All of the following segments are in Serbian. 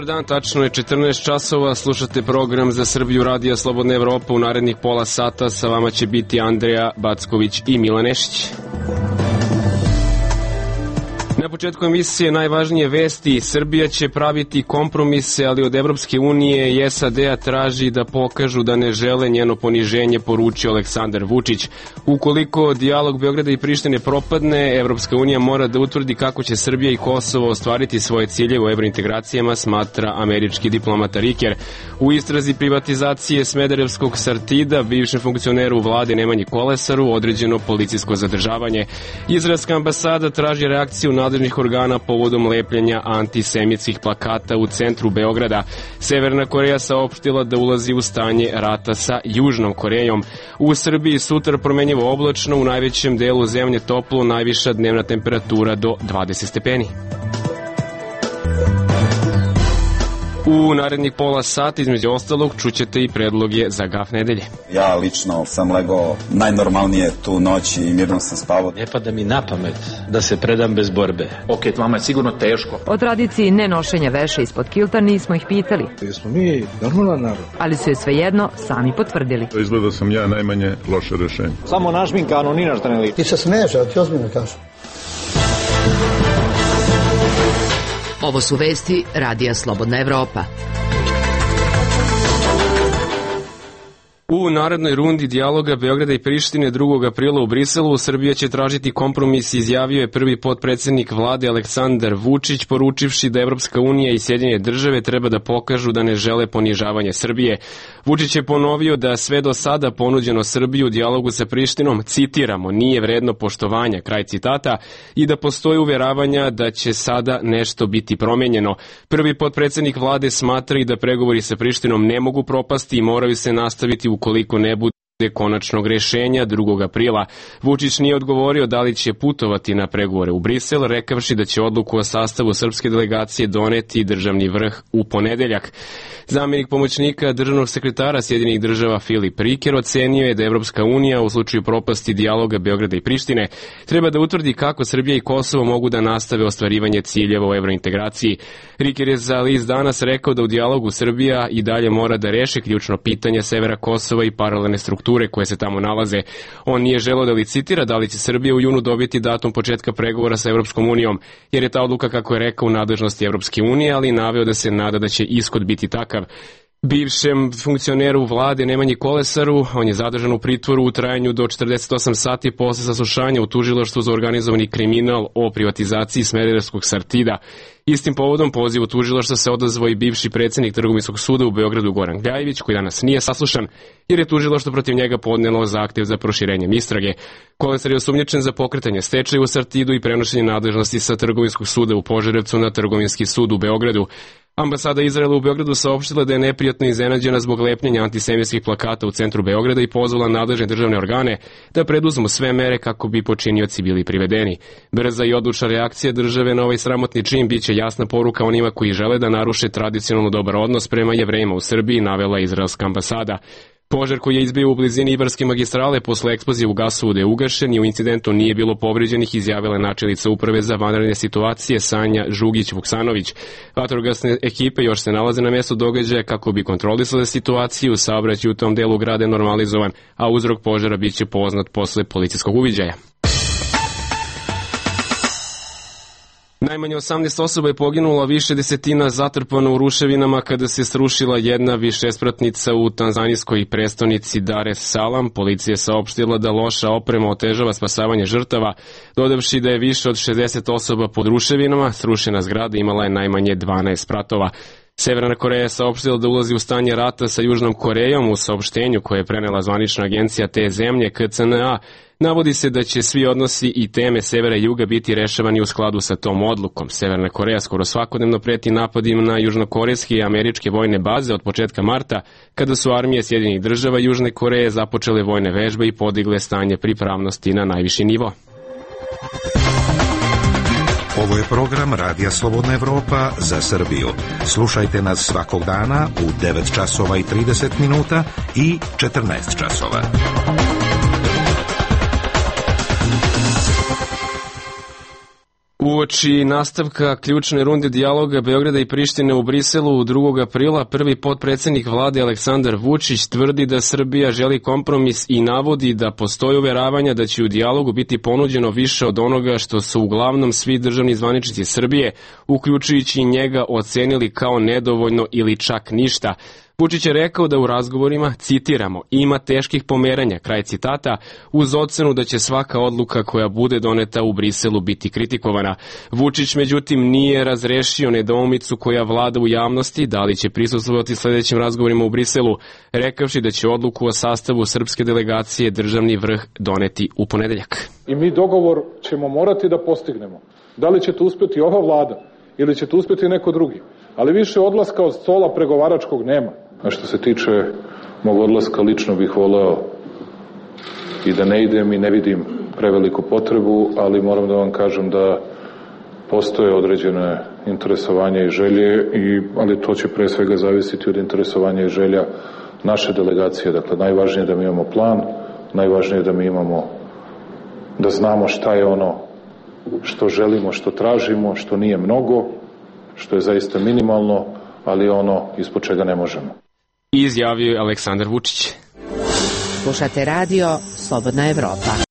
dan, tačno je 14 časova, slušate program za Srbiju Radija Slobodna Evropa. U narednih pola sata sa vama će biti Andreja Backović i Milan Nešić. Na početku emisije najvažnije vesti. Srbija će praviti kompromise, ali od Evropske unije i SAD-a traži da pokažu da ne žele njeno poniženje, poručio Aleksandar Vučić. Ukoliko dijalog Beograda i Prištine propadne, Evropska unija mora da utvrdi kako će Srbija i Kosovo ostvariti svoje ciljeve u evrointegracijama, smatra američki diplomata Riker. U istrazi privatizacije Smederevskog Sartida, bivšem funkcioneru vlade Nemanji Kolesaru, određeno policijsko zadržavanje. Izraelska ambasada traži reakciju nadležnih organa povodom lepljenja antisemitskih plakata u centru Beograda. Severna Koreja saopštila da ulazi u stanje rata sa Južnom Korejom. U Srbiji sutra promenjivo oblačno, u najvećem delu zemlje toplo, najviša dnevna temperatura do 20 stepeni. U narednih pola sata, između ostalog, čućete i predloge za gaf nedelje. Ja lično sam legao najnormalnije tu noć i mirno sam spavao. Ne pada mi na pamet da se predam bez borbe. Ok, vama je sigurno teško. O tradiciji nenošenja veša ispod kilta nismo ih pitali. Jesmo mi normalan narod. Ali su je svejedno sami potvrdili. Izgleda sam ja najmanje loše rešenje. Samo našminkano, ni našta ne liči. Ti se smeješ, a ti ozbiljno kažeš. Ovo su vesti Radija Slobodna Evropa. U narednoj rundi dijaloga Beograda i Prištine 2. aprila u Briselu Srbija će tražiti kompromis, izjavio je prvi potpredsednik vlade Aleksandar Vučić, poručivši da Evropska unija i Sjedinjene države treba da pokažu da ne žele ponižavanje Srbije. Vučić je ponovio da sve do sada ponuđeno Srbiji u dijalogu sa Prištinom, citiramo, nije vredno poštovanja, kraj citata, i da postoji uveravanja da će sada nešto biti promenjeno. Prvi potpredsednik vlade smatra i da pregovori sa Prištinom ne mogu propasti i moraju se nastaviti ukoliko ne bude konačnog rešenja 2. aprila. Vučić nije odgovorio da li će putovati na pregovore u Brisel, rekavši da će odluku o sastavu srpske delegacije doneti državni vrh u ponedeljak. Zamenik pomoćnika državnog sekretara Sjedinjenih država Filip Riker ocenio je da Evropska unija u slučaju propasti dijaloga Beograda i Prištine treba da utvrdi kako Srbija i Kosovo mogu da nastave ostvarivanje ciljeva u evrointegraciji. Riker je za list Danas rekao da u dijalogu Srbija i dalje mora da reši ključno pitanje severa Kosova i paralelne strukture koje se tamo nalaze. On nije želeo da licitira da li će Srbija u junu dobiti datum početka pregovora sa Evropskom unijom, jer je ta odluka, kako je rekao, u nadležnosti Evropske unije, ali naveo da se nada da će ishod biti takav. Bivšem funkcioneru vlade Nemanji Kolesaru, on je zadržan u pritvoru u trajanju do 48 sati posle saslušanja u tužilaštvu za organizovani kriminal o privatizaciji Smederevskog Sartida. Istim povodom pozivu tužilaštva se odazvao i bivši predsednik Trgovinskog suda u Beogradu Goran Gljajević, koji danas nije saslušan, jer je tužilaštvo protiv njega podnelo zahtev za proširenjem istrage. Kolesar je osumnjičen za pokretanje stečaja u Sartidu i prenošenje nadležnosti sa Trgovinskog suda u Požarevcu na Trgovinski sud u Beogradu. Ambasada Izraela u Beogradu saopštila da je neprijatno iznenađena zbog lepljenja antisemitskih plakata u centru Beograda i pozvala nadležne državne organe da preduzmu sve mere kako bi počinioci bili privedeni. Brza i odlučna reakcija države na ovaj sramotni čin biće jasna poruka onima koji žele da naruše tradicionalno dobar odnos prema Jevrejima u Srbiji, navela izraelska ambasada. Požar koji je izbio u blizini Ibarske magistrale posle eksplozije u gasovodu je ugašen i u incidentu nije bilo povređenih, izjavila je načelnica uprave za vanredne situacije Sanja Žugić-Vuksanović. Vatrogasne ekipe još se nalaze na mjestu događaja kako bi kontrolisale situaciju, saobraćaj u tom delu grada je normalizovan, a uzrok požara biće poznat posle policijskog uviđaja. Najmanje 18 osoba je poginulo, više desetina zatrpano u ruševinama kada se srušila jedna višespratnica u tanzanijskoj prestonici Dar es Salaam. Policija je saopštila da loša oprema otežava spasavanje žrtava, dodavši da je više od 60 osoba pod ruševinama. Srušena zgrada imala je najmanje 12 spratova. Severna Koreja je saopštila da ulazi u stanje rata sa Južnom Korejom. U saopštenju koje je prenela zvanična agencija te zemlje KCNA navodi se da će svi odnosi i teme severa i juga biti rešavani u skladu sa tom odlukom. Severna Koreja skoro svakodnevno preti napadima na južnokorejske i američke vojne baze od početka marta, kada su armije Sjedinjenih država i Južne Koreje započele vojne vežbe i podigle stanje pripravnosti na najviši nivo. Ovo je program Radija Slobodna Evropa za Srbiju. Slušajte nas svakog dana u 9 časova i 30 minuta i 14 časova. Uoči nastavka ključne runde dijaloga Beograda i Prištine u Briselu 2. aprila, prvi potpredsednik vlade Aleksandar Vučić tvrdi da Srbija želi kompromis i navodi da postoji uveravanja da će u dijalogu biti ponuđeno više od onoga što su uglavnom svi državni zvaničnici Srbije, uključujući njega, ocenili kao nedovoljno ili čak ništa. Vučić je rekao da u razgovorima, citiramo, ima teških pomeranja, kraj citata, uz ocenu da će svaka odluka koja bude doneta u Briselu biti kritikovana. Vučić, međutim, nije razrešio nedoumicu koja vlada u javnosti, da li će prisustvovati sledećim razgovorima u Briselu, rekavši da će odluku o sastavu srpske delegacije državni vrh doneti u ponedeljak. I mi dogovor ćemo morati da postignemo. Da li će to uspeti ova vlada ili će to uspeti neko drugi? Ali više odlaska od stola pregovaračkog nema. A što se tiče mog odlaska, lično bih voleo i da ne idem i ne vidim preveliku potrebu, ali moram da vam kažem da postoje određene interesovanja i želje, ali to će pre svega zavisiti od interesovanja i želja naše delegacije. Dakle, najvažnije je da mi imamo plan, najvažnije je da mi imamo, da znamo šta je ono što želimo, što tražimo, što nije mnogo, što je zaista minimalno, ali ono ispod čega ne možemo. Izjavio je Aleksandar Vučić. Slušate radio Slobodna Evropa.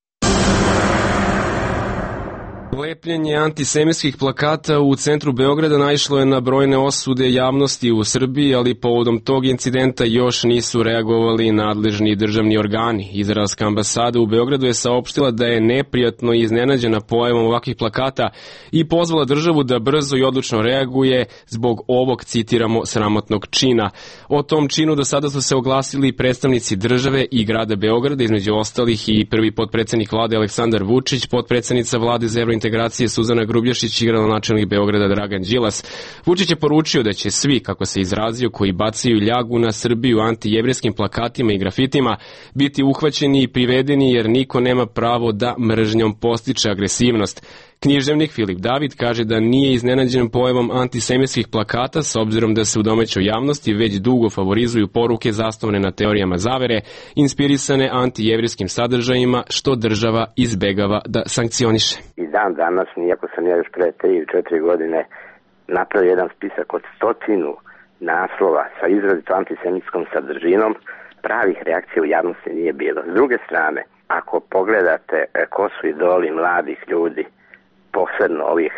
Lepljenje antisemitskih plakata u centru Beograda naišlo je na brojne osude javnosti u Srbiji, ali povodom tog incidenta još nisu reagovali nadležni državni organi. Izraelska ambasada u Beogradu je saopštila da je neprijatno iznenađena pojavom ovakvih plakata i pozvala državu da brzo i odlučno reaguje zbog ovog, citiramo, sramotnog čina. O tom činu do sada su se oglasili predstavnici države i grada Beograda, između ostalih i prvi potpredsednik vlade Aleksandar Vučić, potpredsednica vlade za evrointegracije Suzana Grubješić i gradonačelnik Beograda Dragan Đilas. Vučić je poručio da će svi, kako se izrazio, koji bacaju ljagu na Srbiju antijevrijskim plakatima i grafitima, biti uhvaćeni i privedeni jer niko nema pravo da mržnjom postiče agresivnost. Književnik Filip David kaže da nije iznenađen pojavom antisemitskih plakata s obzirom da se u domaćoj javnosti već dugo favorizuju poruke zasnovane na teorijama zavere, inspirisane antijevrijskim sadržajima, što država izbegava da sankcioniše. I dan danas, iako sam ja još pre 3 ili 4 godine napravio jedan spisak od 100 naslova sa izrazito antisemitskom sadržinom, pravih reakcija u javnosti nije bilo. S druge strane, ako pogledate ko su idoli mladih ljudi, posebno ovih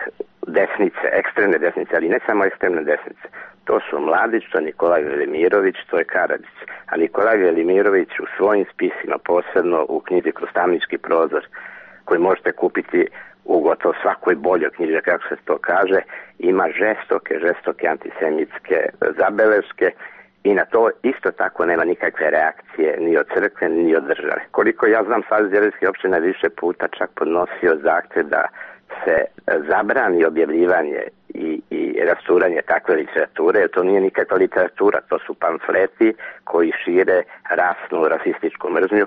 desnice, ekstremne desnice, ali ne samo ekstremne desnice. To su Mladić, to je Nikolaj Velimirović, to je Karadžić. A Nikolaj Velimirović u svojim spisima, posebno u knjizi Kroz tamnički prozor, koji možete kupiti u gotovo svakoj boljoj knjiži, kako se to kaže, ima žestoke antisemitske zabeleške i na to isto tako nema nikakve reakcije ni od crkve, ni od države. Koliko ja znam, Savez jevrejskih opština više puta čak podnosio zahtev da se zabrani objavljivanje i rasturanje takve literature, jer to nije nikakva literatura, to su pamfleti koji šire rasnu, rasističku mržnju.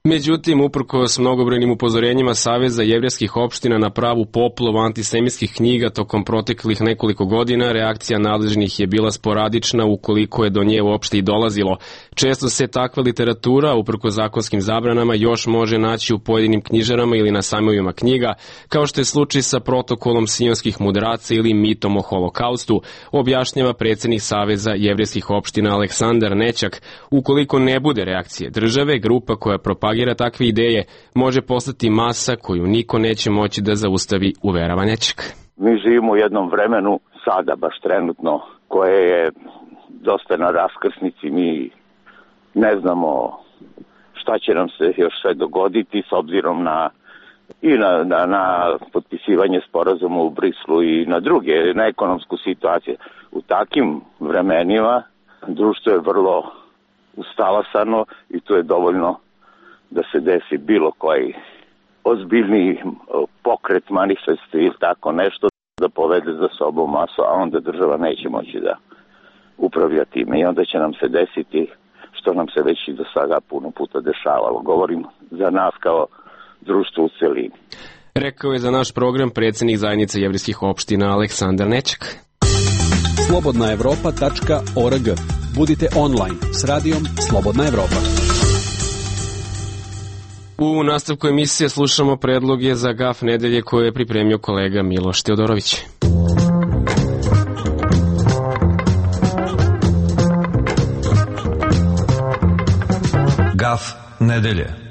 Međutim, uprkos mnogobrojnim upozorenjima Saveza jevrejskih opština na pravu poplavu antisemitskih knjiga tokom proteklih nekoliko godina, reakcija nadležnih je bila sporadična ukoliko je do nje uopšte i dolazilo. Često se takva literatura, uprkos zakonskim zabranama, još može naći u pojedinim knjižarama ili na sajmovima knjiga, kao što je slučaj sa protokolom sionskih mudraca ili mitom o holokaustu, objašnjava predsednik Saveza jevrejskih opština Aleksandar Nećak. Ukoliko ne bude reakcije države, grupa koja propagira takve ideje može postati masa koju niko neće moći da zaustavi, uverava Nećak. Mi živimo u jednom vremenu, sada baš trenutno, koje je dosta na raskrsnici. Mi ne znamo šta će nam se još sve dogoditi s obzirom na potpisivanje sporazuma u Brislu i na druge, na ekonomsku situaciju. U takim vremenima društvo je vrlo ustalasano i to je dovoljno da se desi bilo koji ozbiljni pokret, manifest ili tako nešto da povede za sobom masu, a onda država neće moći da upravlja time i onda će nam se desiti što nam se već i do sada puno puta dešavalo. Govorim za nas kao društvo u celini. Rekao je za naš program predsednik zajednice jevrejskih opština Aleksandar Nećak. slobodnaevropa.org. Budite online s radijom Slobodna Evropa. U nastavku emisije slušamo predloge za gaf nedelje koje je pripremio kolega Miloš Teodorović. Gaf nedelje.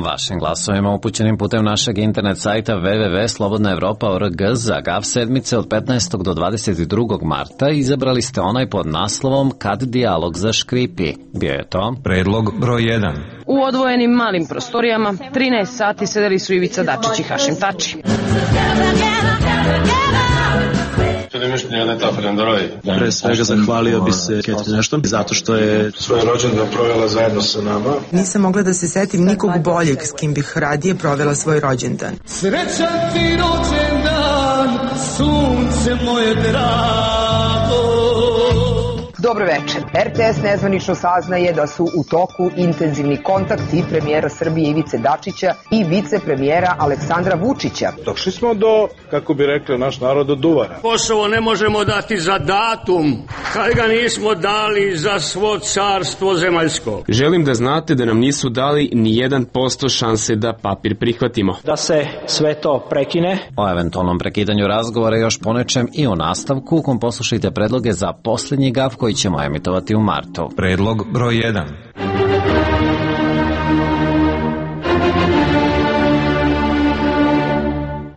Vašim glasovima upućenim putem našeg internet sajta www.slobodnaevropa.org za GAF sedmice od 15. do 22. marta izabrali ste onaj pod naslovom Kad dijalog zaškripi. Bio je to predlog broj 1. U odvojenim malim prostorijama 13 sati sedeli su Ivica Dačić i Hašim Tači. Pre svega zahvalio bi se Catherine Ashton zato što je svoje rođendan provela zajedno sa nama. Nisam mogla da se setim nikog boljeg s kim bih radije provela svoj rođendan. Srećan ti rođendan, sunce moje drago. Dobro večer. RTS nezvanično saznaje da su u toku intenzivni kontakti premijera Srbije Ivice Dačića i vicepremijera Aleksandra Vučića. Došli smo do, kako bi rekli naš narod, do duvara. Kosovo ne možemo dati za datum, kad ga nismo dali za svo carstvo zemaljsko. Želim da znate da nam nisu dali ni 1% šanse da papir prihvatimo. Da se sve to prekine. O eventualnom prekidanju razgovora još ponečem i u nastavku, u kom poslušajte predloge za posljednji gaf koji ćemo emitovati u martu. Predlog broj 1.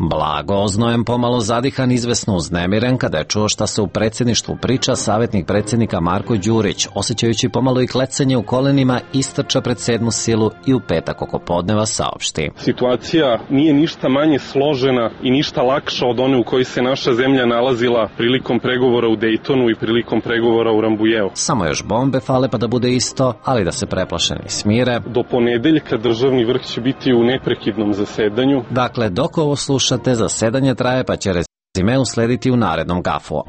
Blago oznojem, pomalo zadihan, izvesno uznemiren kada je čuo šta se u predsjedništvu priča, savjetnik predsjednika Marko Đurić, osjećajući pomalo i klecanje u kolenima, istrča pred 7. silu i u petak oko podneva saopšti. Situacija nije ništa manje složena i ništa lakša od one u kojoj se naša zemlja nalazila prilikom pregovora u Dejtonu i prilikom pregovora u Rambujeu. Samo još bombe fale pa da bude isto, ali da se preplašeni smire. Do ponedeljka državni vrh će biti u neprekidnom zasedanju. Dakle, dok ovo slušate, zasedanje traje pa će rezime uslediti u narednom gafu.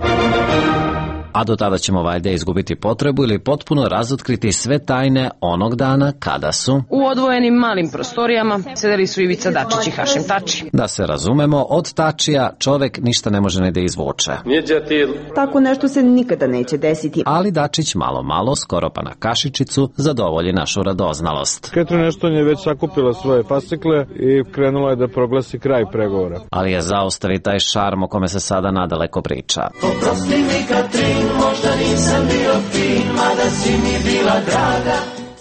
A do tada ćemo valjda izgubiti potrebu ili potpuno razotkriti sve tajne onog dana kada su u odvojenim malim prostorijama sedeli su Ivica Dačić i Hašim Tači. Da se razumemo, od Tačija čovek ništa ne može ni da izvuče. Tako nešto se nikada neće desiti. Ali Dačić malo, skoro pa na kašičicu, zadovolji našu radoznalost. Catherine Ashton je već sakupila svoje fascikle i krenula je da proglasi kraj pregovora. Ali je zaostali taj šarm o kome se sada nadaleko priča. Oprosti mi Katrin, možda nisam bio fin, mada si mi bila draga.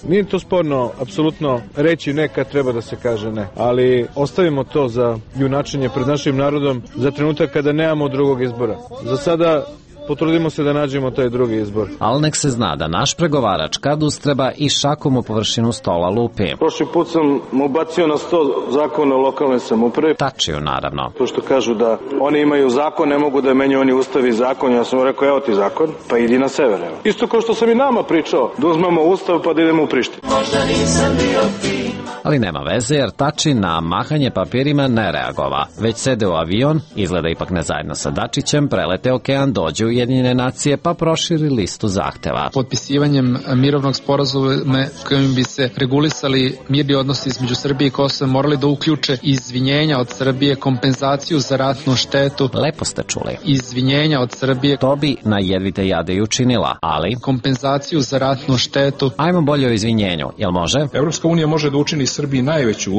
Nije to sporno, apsolutno reći ne kad treba da se kaže ne, ali ostavimo to za junačenje pred našim narodom za trenutak kada nemamo drugog izbora. Za sada potrudimo se da nađemo taj drugi izbor. Ali nek se zna da naš pregovarač kad ustreba i šakom u površinu stola lupi. Prošli put sam mu bacio na sto zakona o lokalnoj samoupravi. Tačiju, naravno. Pošto kažu da oni imaju zakon, ne mogu da menjaju oni ustav i zakon. Ja sam mu rekao, evo ti zakon, pa idi na sever. Evo. Isto kao što sam i nama pričao, da uzmemo ustav pa da idemo u Prištinu. Možda nisam bio fin. Ali nema veze jer Tači na mahanje papirima ne reagova. Već sede u avion, izgleda ipak ne zajedno sa Dačićem, prelete okean, dođu u Ujedinjene nacije pa proširi listu zahteva. Potpisivanjem mirovnog sporazuma kojim bi se regulisali mirni odnosi između Srbije i Kosova morali da uključe izvinjenja od Srbije, kompenzaciju za ratnu štetu. Lepo ste čuli. Izvinjenja od Srbije. To bi na jedvite jade i učinila, ali kompenzaciju za ratnu štetu. Ajmo bolje o izvinjenju, jel može? Evropska unija može da učini Srbiji najveću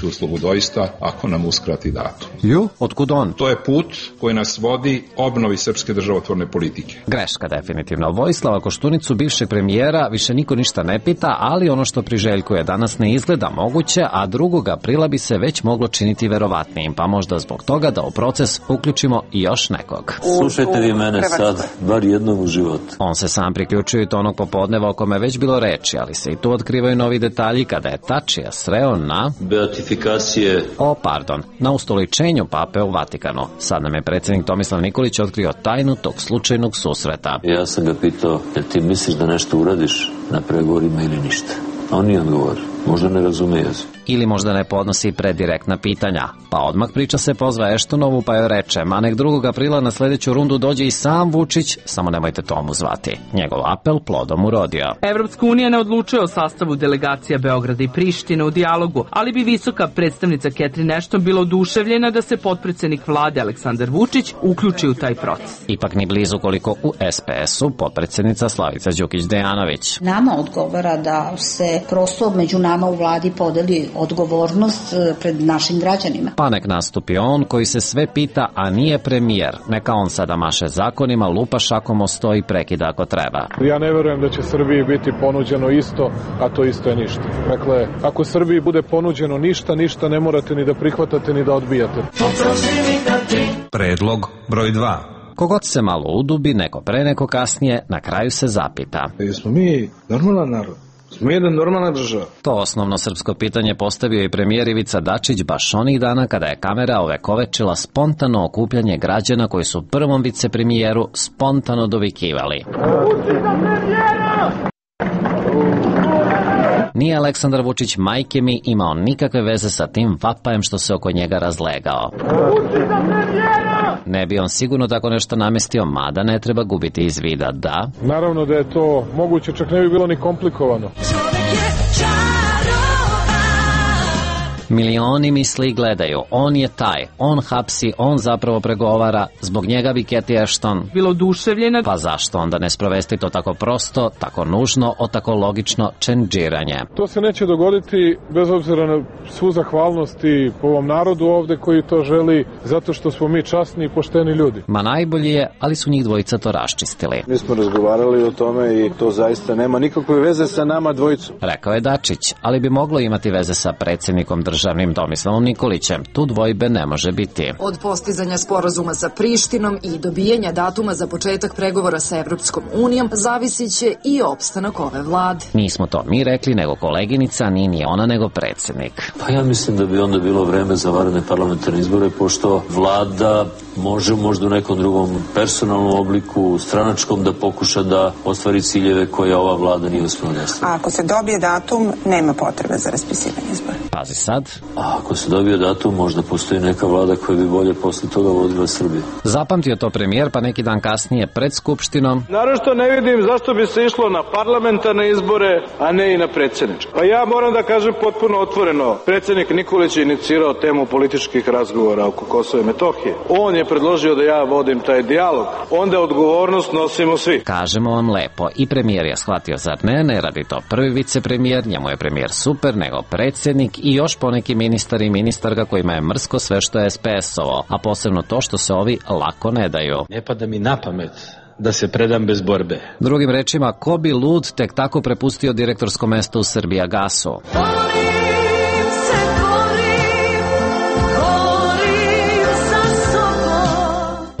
uslugu doista, ako nam uskrati datum. Ju? Otkud on? To je put koji nas vodi obnovi srpske državotvorne politike. Greška definitivno. Vojislava Koštunicu, bivšeg premijera, više niko ništa ne pita, ali ono što priželjkuje danas ne izgleda moguće, a 2. aprila bi se već moglo činiti verovatnijim, pa možda zbog toga da u proces uključimo i još nekog. Slušajte vi mene sad, bar jednom u životu. On se sam priključuje i tonog popodneva o kome već bilo reči, ali se i tu otkrivaju novi detalji kada je Tačija sreo na beatifikacije. Na ustoličenju pape u Vatikanu. Sad nam je predsjednik Tomislav Nikolić otkrio tajnu tog slučajnog susreta. Ja sam ga pitao, jel ti misliš da nešto uradiš na pregovorima ili ništa? A on nije odgovorio. možda ne razume jezik. Ili možda ne podnosi predirektna pitanja. Pa odmah priča se pozva Eštonovu pa joj reče, ma nek 2. aprila na sledeću rundu dođe i sam Vučić, samo nemojte Tomu zvati. Njegov apel plodom urodio. Evropska unija ne odlučuje o sastavu delegacija Beograda i Prištine u dijalogu, ali bi visoka predstavnica Catherine Ashton bila oduševljena da se potpredsednik vlade Aleksandar Vučić uključi u taj proces. Ipak ni blizu koliko u SPS-u potpredsednica Slavica Đukić-Dejanović. Nama odgovara da se prosto među nama u vladi podeli odgovornost pred našim građanima. Pa nek nastupi on koji se sve pita, a nije premijer. Neka on sada maše zakonima, lupa šakom o sto i prekida ako treba. Ja ne verujem da će Srbiji biti ponuđeno isto, a to isto je ništa. Dakle, ako Srbiji bude ponuđeno ništa, ništa ne morate ni da prihvatate ni da odbijate. Predlog broj 2. Kogod se malo udubi, neko pre, neko kasnije, na kraju se zapita. Jesmo mi normalan narod? Smo jedna normalna država. To osnovno srpsko pitanje postavio i premijer Ivica Dačić baš onih dana kada je kamera ovekovečila spontano okupljanje građana koji su prvom vicepremijeru spontano dovikivali. Nije Aleksandar Vučić, majke mi, imao nikakve veze sa tim vapajem što se oko njega razlegao. Ne bi on sigurno tako nešto namestio, mada ne treba gubiti iz vida, da? Naravno da je to moguće, čak ne bi bilo ni komplikovano. Milioni misli i gledaju, on je taj, on hapsi, on zapravo pregovara, zbog njega bi Cathy Ashton bilo oduševljena. Pa zašto onda ne sprovesti to tako prosto, tako nužno, tako logično čendžiranje? To se neće dogoditi bez obzira na svu zahvalnost i po ovom narodu ovde koji to želi, zato što smo mi časni i pošteni ljudi. Ma najbolji je, ali su njih dvojica to raščistili. Mi smo razgovarali o tome i to zaista nema nikakve veze sa nama dvojicom. Rekao je Dačić, ali bi moglo imati veze sa predsjednikom državnim Tomislavom Nikolićem. Tu dvojbe ne može biti. Od postizanja sporazuma sa Prištinom i dobijanja datuma za početak pregovora sa Evropskom unijom zavisit će i opstanak ove vlade. Nismo to mi rekli, nego koleginica, ni ona, nego predsjednik. Pa ja mislim da bi onda bilo vreme za vanredne parlamentarne izbore, pošto vlada može možda u nekom drugom personalnom obliku, stranačkom, da pokuša da ostvari ciljeve koje ova vlada nije uspela da ostvari. A ako se dobije datum, nema potrebe za raspisivanje izbora. Pazi sad. A ako se dobije datum, možda postoji neka vlada koja bi bolje posle toga vodila Srbiju. Zapamtio to premijer, pa neki dan kasnije pred Skupštinom. Naravno ne vidim zašto bi se išlo na parlamentarne izbore, a ne i na predsjedničke. Pa ja moram da kažem potpuno otvoreno, predsjednik Nikolić je inicirao temu političkih razgovora oko Kosova i Metohije. On je predložio da ja vodim taj dijalog. Onda odgovornost nosimo svi. Kažemo vam lepo, i premijer je shvatio, zar ne radi to prvi vicepremijer, njemu je premijer super, nego predsjednik i još poneki ministar i ministarka kojima je mrsko sve što je SPS-ovo, a posebno to što se ovi lako ne daju. Ne pada mi na pamet da se predam bez borbe. Drugim rečima, ko bi lud tek tako prepustio direktorsko mesto u Srbijagasu?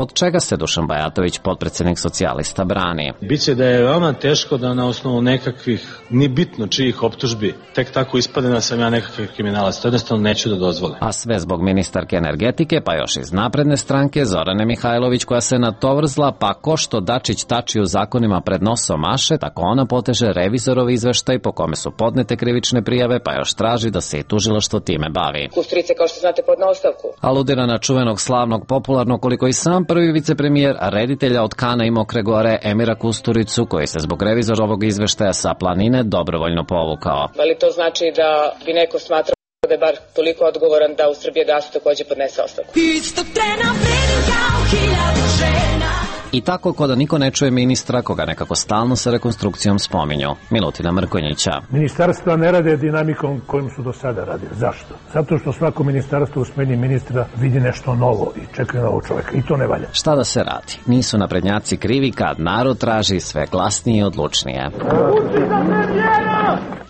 Od čega se Dušan Bajatović, potpredsjednik socijalista, brani? Biće da je veoma teško da na osnovu nekakvih, ni bitno čijih optužbi, tek tako ispade da sam ja nekakav kriminalac. To jednostavno neću da dozvolim. A sve zbog ministarke energetike, pa još iz napredne stranke, Zorane Mihajlović, koja se natovrzla, pa ko što Dačić tači u zakonima pred nosom maše, tako ona poteže revizorov izveštaj po kome su podnete krivične prijave, pa još traži da se i tužilaštvo time bavi. Kusturica, kao što znate, podne ostavku. Aludira na čuvenog, slavnog, popularnog, koliko i sam prvi vicepremijer, a reditelja od Kana i Mokre Gore, Emira Kusturicu, koji se zbog revizorovog izveštaja sa planine dobrovoljno povukao. Ali to znači da bi neko smatrao da je bar toliko odgovoran da u Srbijagasu takođe podnese ostavku. Istog trena vredim kao 1000 žena. I tako ko da niko ne čuje ministra, koga nekako stalno sa rekonstrukcijom spominju. Milutina Mrkonjića. Ministarstva ne rade dinamikom kojim su do sada radili. Zašto? Zato što svako ministarstvo u smeni ministra vidi nešto novo i čekaju novog čoveka. I to ne valja. Šta da se radi? Nisu naprednjaci krivi kad narod traži sve glasnije i odlučnije.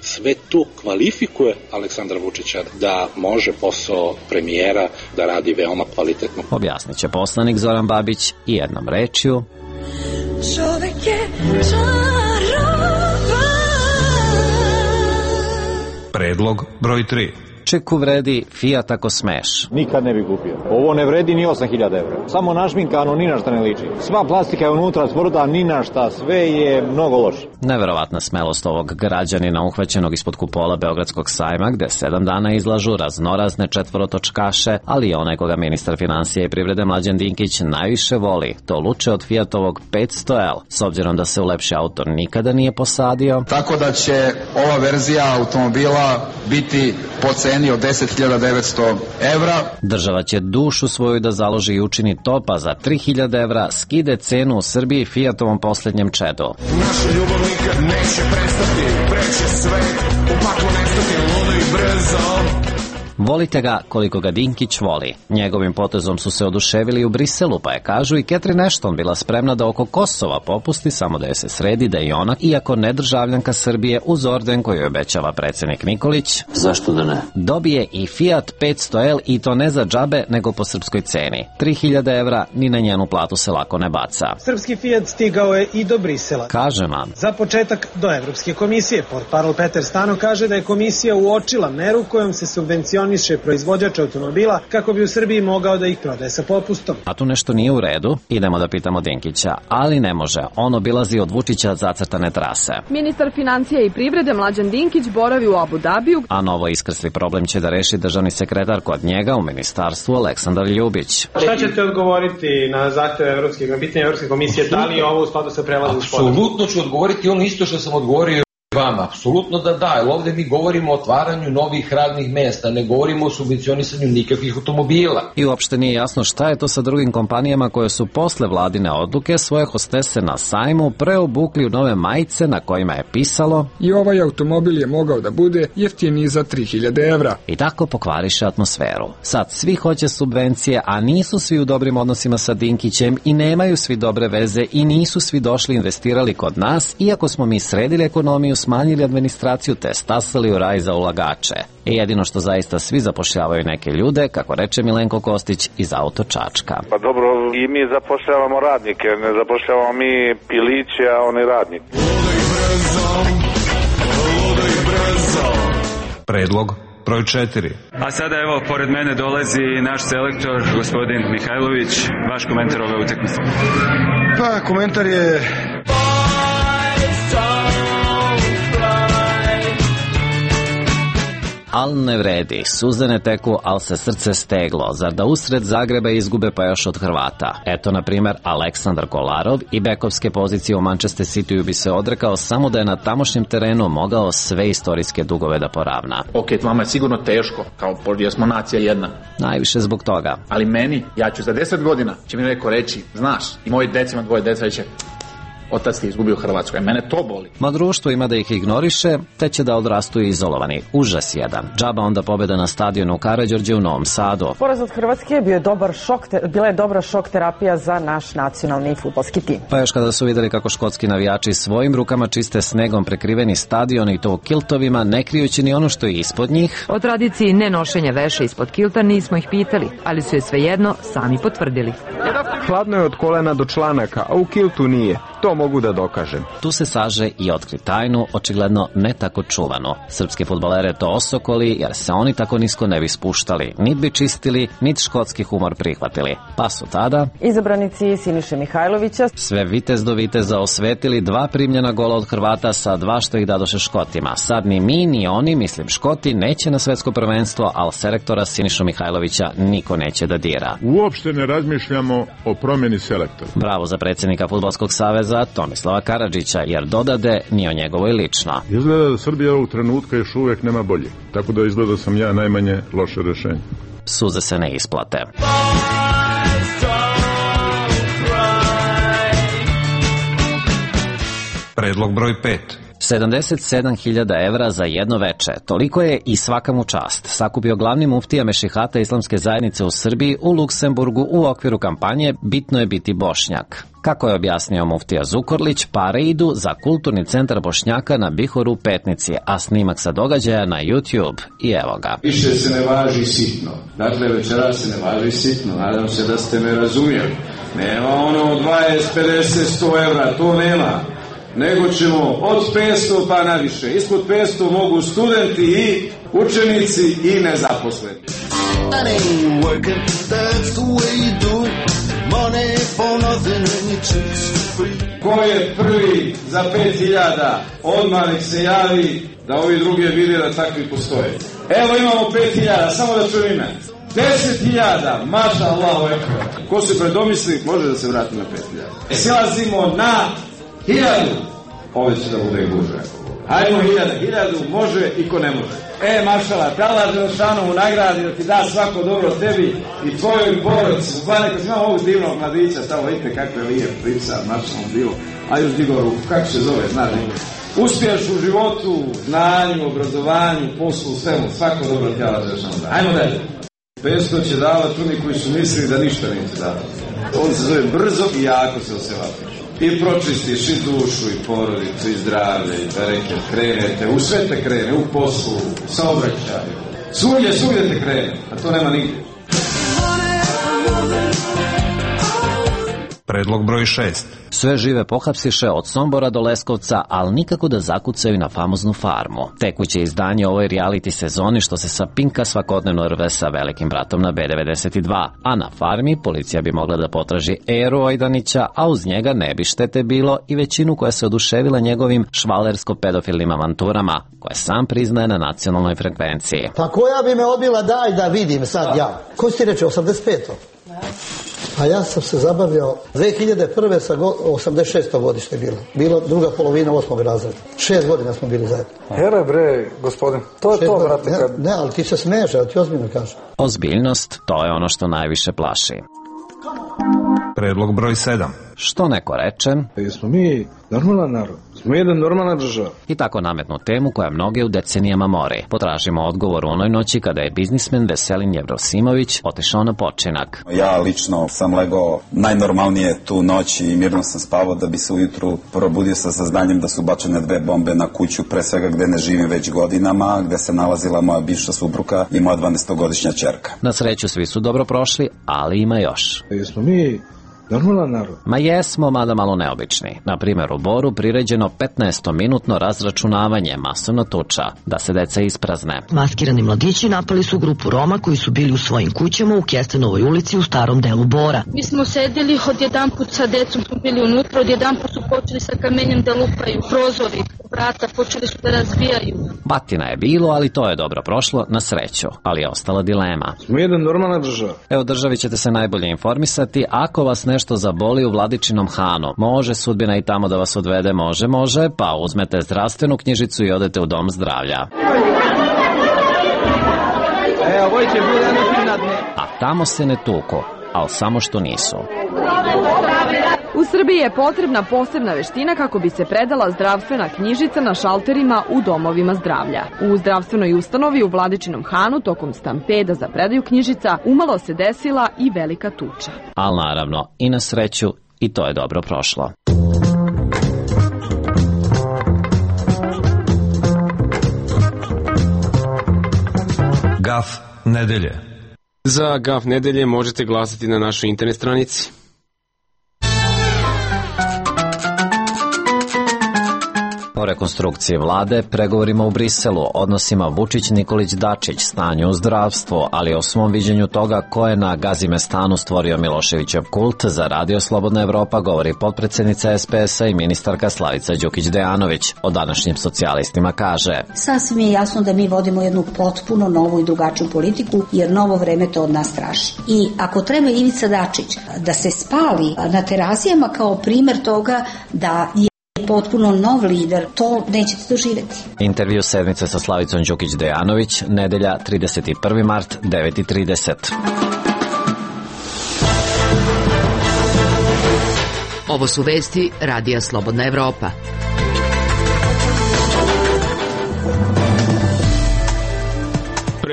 Sve to kvalifikuje Aleksandra Vučića da može posao premijera da radi veoma kvalitetno. Objasnit će poslanik Zoran Babić i jednom rečju. Čovek je čarovan. Predlog broj 3. Vučiku vredi Fiat ako smeš. Nikad ne bi kupio. Ovo ne vredi ni 8.000 evra. Samo našminkano, ni na šta ne liči. Sva plastika je unutra tvrda, ni na šta, sve je mnogo loše. Neverovatna smelost ovog građanina uhvaćenog ispod kupola Beogradskog sajma, gde 7 dana izlažu raznorazne četvorotočkaše, ali i onaj koga ministar finansija i privrede Mlađan Dinkić najviše voli, to luče od Fiatovog 500L, s obzirom da se u lepši auto nikada nije posadio. Tako da će ova verzija automobila biti po ceni od 10.900 evra. Država će dušu svoju da založi i učini to, pa za 3.000 evra skide cenu u Srbiji Fiatovom posljednjem čedu. Naša ljubav nikad neće prestati, preće sve, u paklu nestati, ludo i brzo. Volite ga koliko ga Dinkić voli. Njegovim potezom su se oduševili u Briselu, pa je, kažu, i Catherine Ashton bila spremna da oko Kosova popusti, samo da je se sredi da i ona, iako ne državljanka Srbije, uz orden koji obećava predsjednik Nikolić, zašto da ne, dobije i Fiat 500L, i to ne za džabe, nego po srpskoj ceni. 3.000 evra ni na njenu platu se lako ne baca. Srpski Fiat stigao je i do Brisela. Kaže vam. Za početak do Evropske komisije. Portparol Peter Stano kaže da je komisija uočila meru kojom se subvencioniše proizvođač automobila kako bi u Srbiji mogao da ih prodaje sa popustom. A tu nešto nije u redu, idemo da pitamo Dinkića, ali ne može, on obilazi od Vučića zacrtane trase. Ministar financija i privrede Mlađan Dinkić boravi u Abu Dabiju. A novo iskrsli problem će da reši državni sekretar kod njega u ministarstvu Aleksandar Ljubić. Šta ćete odgovoriti na zahteve na pitanje Evropske komisije, da li je ovo u skladu sa prelazom sporazuma? Apsolutno ću odgovoriti ono isto što sam odgovorio vama, apsolutno da, jer ovdje mi govorimo o otvaranju novih radnih mesta, ne govorimo o subvencionisanju nikakvih automobila. I uopšte nije jasno šta je to sa drugim kompanijama koje su posle vladine odluke svoje hostese na sajmu preobukli u nove majice na kojima je pisalo i ovaj automobil je mogao da bude jeftiniji za 3.000 evra. I tako pokvariše atmosferu. Sad svi hoće subvencije, a nisu svi u dobrim odnosima sa Dinkićem i nemaju svi dobre veze i nisu svi došli investirali kod nas, iako smo mi sredili ekonomiju, smanjili administraciju te stasali u raj za ulagače. I jedino što zaista svi zapošljavaju neke ljude, kako reče Milenko Kostić iz Auto Čačka. Pa dobro, i mi zapošljavamo radnike, ne zapošljavamo mi piliće, a oni radnici. Predlog broj 4. A sada evo, pored mene dolazi naš selektor, gospodin Mihajlović. Vaš komentar ove utakmice? Pa, komentar je... Al ne vredi, suze ne teku, al se srce steglo, zar da usred Zagreba izgube pa još od Hrvata. Eto, na primjer, Aleksandar Kolarov i bekovske pozicije u Manchester Cityu bi se odrekao samo da je na tamošnjem terenu mogao sve istorijske dugove da poravna. Ok, vama je sigurno teško, kao jer smo nacija jedna. Najviše zbog toga. Ali meni, ja ću za 10 godina, će mi neko reći, znaš, i moji decima, dvoje deca će... Otac ti izgubio Hrvatsku, a mene to boli. Ma društvo ima da ih ignoriše, te će da odrastu izolovani. Užas jedan. Džaba onda pobjeda na stadionu u Karađorđe u Novom Sadu. Poraz od Hrvatske bila je dobra šok terapija za naš nacionalni fudbalski tim. Pa još kada su vidjeli kako škotski navijači svojim rukama čiste snegom prekriveni stadion i to u kiltovima, ne krijući ni ono što je ispod njih. O tradiciji nenošenja veša ispod kilta nismo ih pitali, ali su je svejedno sami potvrdili. Hladno je od kolena do članaka, a u kiltu nije. To mogu da dokažem. Tu se saže i otkri tajnu, očigledno ne tako čuvano. Srpske fudbalere to osokoli, jer se oni tako nisko ne bi spuštali, nit bi čistili, nit škotski humor prihvatili. Pa su tada izabranici Siniše Mihajlovića sve vitez do viteza osvetili, 2 primljena gola od Hrvata sa 2 što ih dadoše Škotima. Sad ni mi, ni oni, mislim Škoti, neće na svetsko prvenstvo, ali selektora Sinišu Mihajlovića niko neće da dira. Uopšte ne razmišljamo o promjeni selektora. Bravo za predsjednika Fudbalskog saveza Tomislava Karadžića, jer dodade ni o njegovoj lično. Izgleda da Srbija ovog trenutka još uvijek nema bolje. Tako da izgleda sam ja najmanje loše rješenje. Suze se ne isplate. Predlog broj 5. 77.000 evra za jedno veče. Toliko je i svaka mu čast. Sakupio glavni muftija Mešihata Islamske zajednice u Srbiji u Luksemburgu u okviru kampanje Bitno je biti Bošnjak. Kako je objasnio muftija Zukorlić, pare idu za kulturni centar Bošnjaka na Bihoru u Petnici, a snimak sa događaja na YouTube. I evo ga. Više se ne važi sitno. Dakle, večera se ne važi sitno. Nadam se da ste me razumjeli. Nema ono 20, 50, 100 evra, to nema. Nego ćemo od 500 pa naviše. Ispod 500 mogu studenti i učenici i nezaposleni. Ko je prvi za 5.000, odmah nek se javi da ovi drugi vide da takvi postoje. Evo imamo 5.000, samo da čujem ime. 10.000, maša Allahu ekber. Ko se predomisli, može da se vrati na 5.000. Silazimo na 1.000. Ove će da bude gužve. Hajmo 1.000, može i ko ne može. Mašala, te Allah Đelešanovu nagradi da ti da svako dobro tebi i tvojoj porodici. Bukvalno kad imamo ovog divnog mladića, tamo vidite kako je lijep priča, mašalom bilo. A još digo ruku, kako se zove, znaš li? Uspiješ u životu, znanju, obrazovanju, poslu, svemu, svako dobro ti Allah Đelešanovu da. Hajmo dalje. 500 će davati oni koji su mislili da ništa neće davati. On se zove brzo i jako se osevati. I pročistiš i dušu, i porodicu, i zdravlje, i bereket, krenete, u sve te krene, u poslu, saobraćaju. Svugdje te krene, a to nema nigdje. Predlog broj 6. Sve žive pohapsiše od Sombora do Leskovca, ali nikako da zakucaju na famoznu farmu. Tekuće izdanje ovoj reality sezoni što se sa Pinka svakodnevno rve sa velikim bratom na B92, a na farmi policija bi mogla da potraži Eru Ojdanića, a uz njega ne bi štete bilo i većinu koja se oduševila njegovim švalersko-pedofilnim avanturama, koje sam priznaje na nacionalnoj frekvenciji. Pa koja bi me odbila, daj da vidim sad ja. Ko si ti reče, 85. A ja sam se zabavljao 2001. sa 86. godište je bilo druga polovina 8. razreda. 6 godina smo bili zajedno. Here bre, gospodin, to je to, brate. Ne, ali ti se smeješ, ali ti ozbiljno kažem. Ozbiljnost, to je ono što najviše plaši. Predlog broj 7. Što neko reče? Jesmo mi normalan narod, smo jedan normalna država. I tako nametnu temu koja mnoge u decenijama mori. Potražimo odgovor u onoj noći kada je biznismen Veselin Jevrosimović otišao na počinak. Ja lično sam legao najnormalnije tu noć i mirno sam spavao da bi se ujutru probudio sa saznanjem da su bačene 2 bombe na kuću, pre svega gde ne živim već godinama, gde se nalazila moja bivša supruga i moja 12-godišnja ćerka. Na sreću svi su dobro prošli, ali ima još. Jesmo mi normalan narod? Ma jesmo, mada malo neobični. Na primjer, u Boru priređeno 15-minutno razračunavanje, masovna tuča, da se deca isprazne. Maskirani mladići napali su grupu Roma koji su bili u svojim kućama u Kestenovoj ulici u starom delu Bora. Mi smo sedeli, odjedanput sa decom smo bili unutra, odjedanput su počeli sa kamenjem da lupaju, prozori, vrata počeli su da razbijaju. Batina je bilo, ali to je dobro prošlo, na sreću, ali je ostala dilema. Smo jedan normalna država. Evo, državi ćete se najbolje informisati, ako vas nešto zaboli u Vladičinom Hanu. Može sudbina i tamo da vas odvede, može, pa uzmete zdravstvenu knjižicu i odete u dom zdravlja. A tamo se ne tuku, ali samo što nisu. U Srbiji je potrebna posebna veština kako bi se predala zdravstvena knjižica na šalterima u domovima zdravlja. U zdravstvenoj ustanovi u Vladičinom Hanu tokom stampeda za predaju knjižica umalo se desila i velika tuča. Ali naravno, i na sreću, i to je dobro prošlo. Gaf nedelje. Za Gaf nedelje možete glasati na našoj internet stranici. O rekonstrukciji vlade, pregovorima u Briselu, odnosima Vučić-Nikolić-Dačić, stanju u zdravstvu, ali o svom viđenju toga ko je na Gazimestanu stvorio Miloševićev kult, za Radio Slobodna Evropa govori potpredsednica SPS-a i ministarka Slavica Đukić-Dejanović. O današnjim socijalistima kaže: Sasvim je jasno da mi vodimo jednu potpuno novu i drugačiju politiku, jer novo vreme to od nas traži. I ako treba Ivica Dačić da se spali na terazijama kao primer toga da je potpuno nov lider, to nećete doživjeti. Intervju sedmice sa Slavicom Đukić-Dejanović, nedelja 31. mart, 9:30. Ovo su vesti Radija Slobodna Evropa.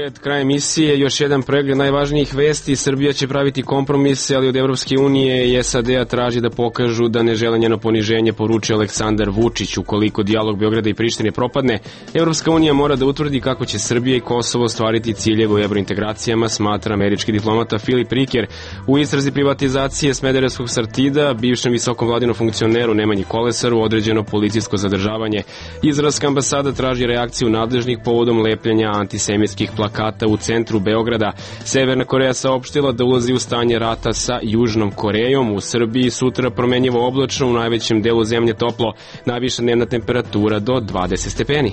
Pred krajem emisije još jedan pregled najvažnijih vesti. Srbija će praviti kompromise, ali od Evropske unije i SAD-a traži da pokažu da ne žele njeno poniženje, poručio Aleksandar Vučić. Ukoliko dijalog Beograda i Prištine propadne, Evropska unija mora da utvrdi kako će Srbija i Kosovo ostvariti ciljeve u evrointegracijama, smatra američki diplomata Filip Riker. U istrazi privatizacije Smederevskog Sartida, bivšem visokom vladinom funkcioneru Nemanji Kolesaru određeno policijsko zadržavanje. Izraelska ambasada traži reakciju nadležnih povodom lepljenja antisemitskih plakata u centru Beograda. Severna Koreja saopštila da ulazi u stanje rata sa Južnom Korejom. U Srbiji sutra promenjivo oblačno, u najvećem delu zemlje toplo, najviša dnevna temperatura do 20 stepeni.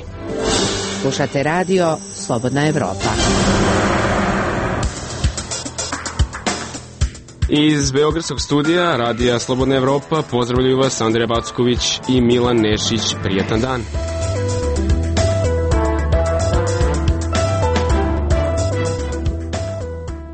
Slušate radio Slobodna Evropa. Iz beogradskog studija radija Slobodna Evropa pozdravljaju vas Andreja Backović i Milan Nešić. Prijatan dan.